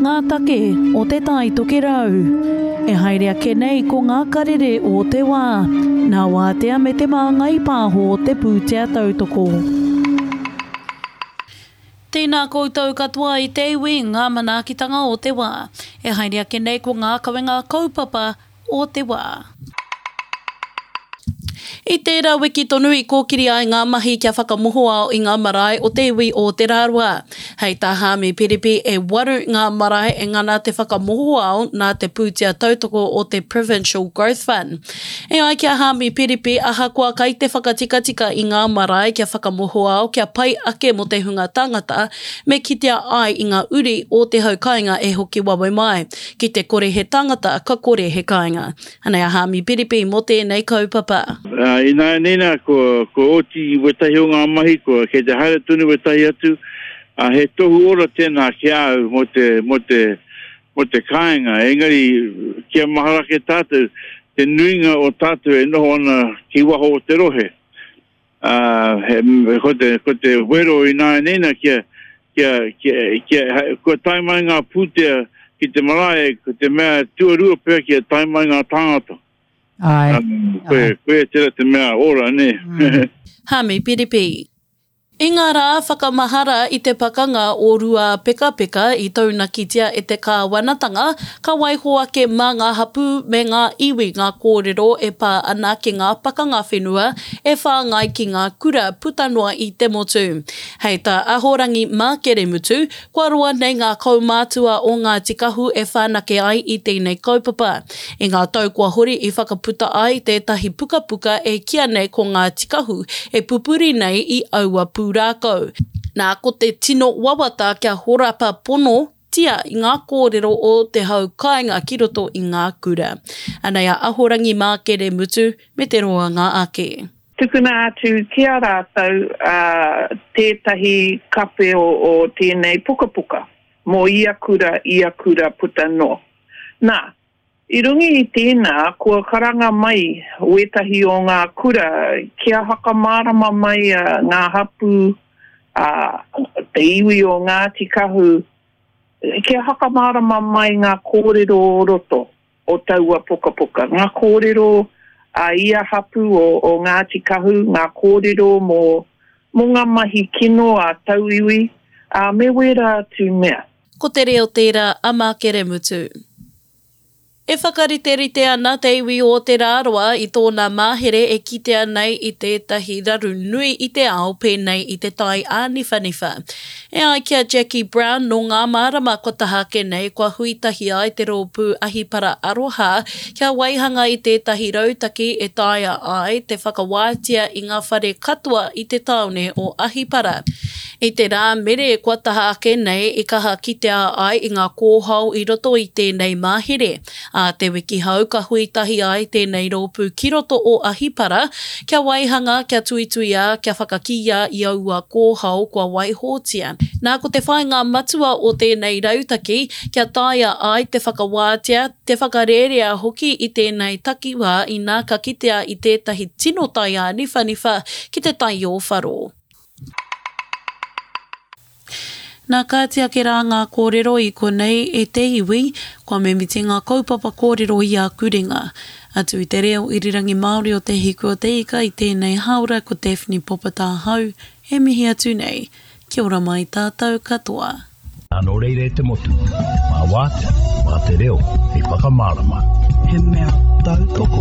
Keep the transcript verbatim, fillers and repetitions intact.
ngā take o Te Tai Tokerau. E haere ake nei ko ngā karere o te wā, nā Wātea me Te Māngai Pāho te pūtea tautoko. Tēnā koutou katoa i te iwi, ngā manaakitanga o te wā. E haere ake nei ko ngā kawenga kaupapa o te wā. I tērā wiki tonu i kōkiri ai ngā mahi kia whakamohoao i ngā marae o te iwi o Te Rarawa. Hei tā Haami Piripi, e waru ngā marae e ngana te whakamohoao nā te pūtea tautoko o te Provincial Growth Fund. E ai ki a Haami Piripi, ahakoa kai te whakatikatika i ngā marae kia whakamohoao kia pai ake mō te hunga tangata, me kitea ai i ngā uri o te hau kāinga e hoki wawe mai. Ki te kore he tangata, ka kore he kāinga. Anei a Haami Piripi mō tēnei kaupapa. Uh, ināianei nā, kua, kua oti i wētahi o ngā mahi, kua kei te haere tonu wētahi atu, uh, he tohu ora tēnā ki a au mō te, mō te, mō te kāinga. Engari, kia mahara ake tātou, te nuinga o tātou e noho ana ki waho o te rohe. Uh, he, ko, te, ko te wero ināianei nā, kia, kia, kia, kia, kua tae mai ngā pūtea ki te marae, ko te mea tuarua pea kia tae mai ngā tāngata. Ai. Um, koe, koe tera te mea ora, ne? Mm. Haami Piripi. I ngā rā whakamahara i te pakanga o Ruapekapeka i taunakitia e te kāwanatanga, ka waiho ake mā ngā hapū me ngā iwi ngā kōrero e pā ana ki ngā pakanga whenua e whāngai ki ngā kura puta noa i te motu. Hei tā Ahorangi Mākeremutu, kua roa nei ngā kaumātua o Ngāti Kahu e whanake ai i tēnei kaupapa. I ngā tau kua hori i whakaputa ai tētahi pukapuka e kīia nei ko Ngāti Kahu e pupuri nei i aua pūrākau. Nā, ko te tino wawata kia horapa pono tia i ngā kōrero o te hau kāinga ki roto i ngā kura. Anei a Ahorangi Mākeremutu me te roanga ake. Tukuna atu ki a rātou uh, tētahi kape o, o tēnei pukapuka mō ia kura, ia kura puta noa. Nā, i runga i tēnā, kua karanga mai wētahi o ngā kura kia whakamārama mai uh, ngā hapū, uh, te iwi o Ngāti Kahu, kia whakamārama mai ngā kōrero o roto o taua pukapuka. Ngā kōrero a ia hapū o, o Ngāti Kahu, ngā kōrero mō, mō ngā mahi kino a tauiwi, a me wērā atu mea. Ko te reo tērā a Mākeremutu. E whakariterite ana te iwi o Te Rarawa i tōna mahere e kitea nei i tētahi raru nui i te ao pēnei i te tai āniwhaniwha. E ai ki a Jackie Brown nō ngā marama kua taha ake nei kua hui tahi ai te rōpū Ahipara Aroha kia waihanga i tētahi rautaki e taea ai te whakawātea i ngā whare katoa i te tāone o Ahipara. I te rā mere kua taha ake nei i kaha kitea ai i ngā kōhao i roto i tēnei mahere. Ā te wiki hau ka hui tahi ai tēnei rōpū ki roto o Ahipara kia waihanga, kia tuituia, kia whakakīia i aua kōhao kua waihotia. Nā ko te whāinga matua o tēnei rautaki kia taea ai te whakawātea, te whakarērea hoki i tēnei takiwā inā ka kitea i tētahi tino tai āniwhaniwha ki te tai o Wharo. Nā kāti ake rā ngā kōrero i konei e te iwi, kua mimiti ngā kaupapa kōrero i a Kurenga. Atu i te reo irirangi Māori o Te Hiku o Te Ika i tēnei hāora ko Daphne Popatahau e mihi atu nei. Kia ora mai tātou katoa. Nō reira e te motu, mā wātea, mā te reo, hei whakamārama. He mea tautoko.